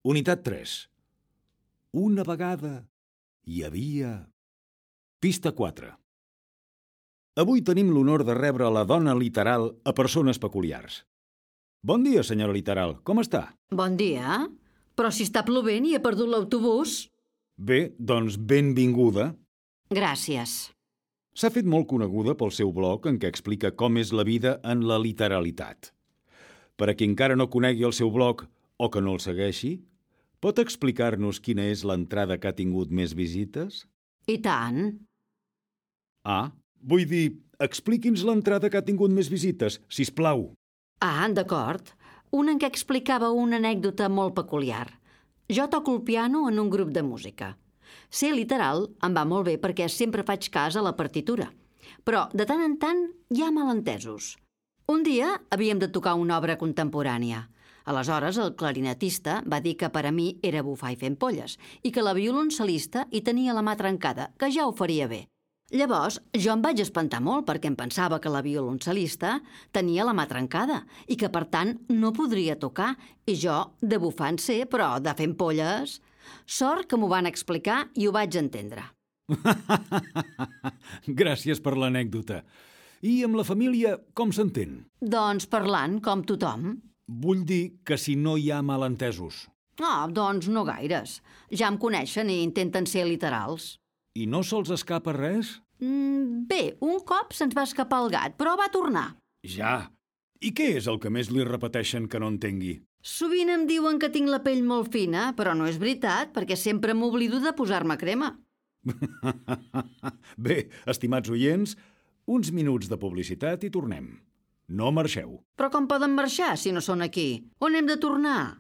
Unitat 3. Una vegada hi havia... Pista 4. Avui tenim l'honor de rebre la dona literal a persones peculiars. Bon dia, senyora literal. Com està? Bon dia. Però si està plovent i he perdut l'autobús. Bé, doncs benvinguda. Gràcies. S'ha fet molt coneguda pel seu blog en què explica com és la vida en la literalitat. Per a qui encara no conegui el seu blog o que no el segueixi, pot explicar-nos quina és l'entrada que ha tingut més visites? I tant. Ah, vull dir, expliqui'ns l'entrada que ha tingut més visites, sisplau. Ah, d'acord. Una en què explicava una anècdota molt peculiar. Jo toco el piano en un grup de música. Ser literal em va molt bé perquè sempre faig cas a la partitura. Però, de tant en tant, hi ha malentesos. Un dia havíem de tocar una obra contemporània. Aleshores, el clarinetista va dir que per a mi era bufar i fer ampolles i que la violoncel·lista hi tenia la mà trencada, que ja ho faria bé. Llavors, jo em vaig espantar molt perquè em pensava que la violoncel·lista tenia la mà trencada i que, per tant, no podria tocar. I jo, de bufar en sé, però de fer ampolles... Sort que m'ho van explicar i ho vaig entendre. Gràcies per l'anècdota. I amb la família, com s'entén? Doncs parlant, com tothom. Vull dir que si no hi ha malentesos. Doncs no gaires. Ja em coneixen i intenten ser literals. I no se'ls escapa res? Bé, un cop se'ns va escapar el gat, però va tornar. Ja. I què és el que més li repeteixen que no entengui? Sovint em diuen que tinc la pell molt fina, però no és veritat, perquè sempre m'oblido de posar-me crema. Bé, estimats oients, uns minuts de publicitat i tornem. No marxeu. Però com poden marxar si no són aquí? On hem de tornar?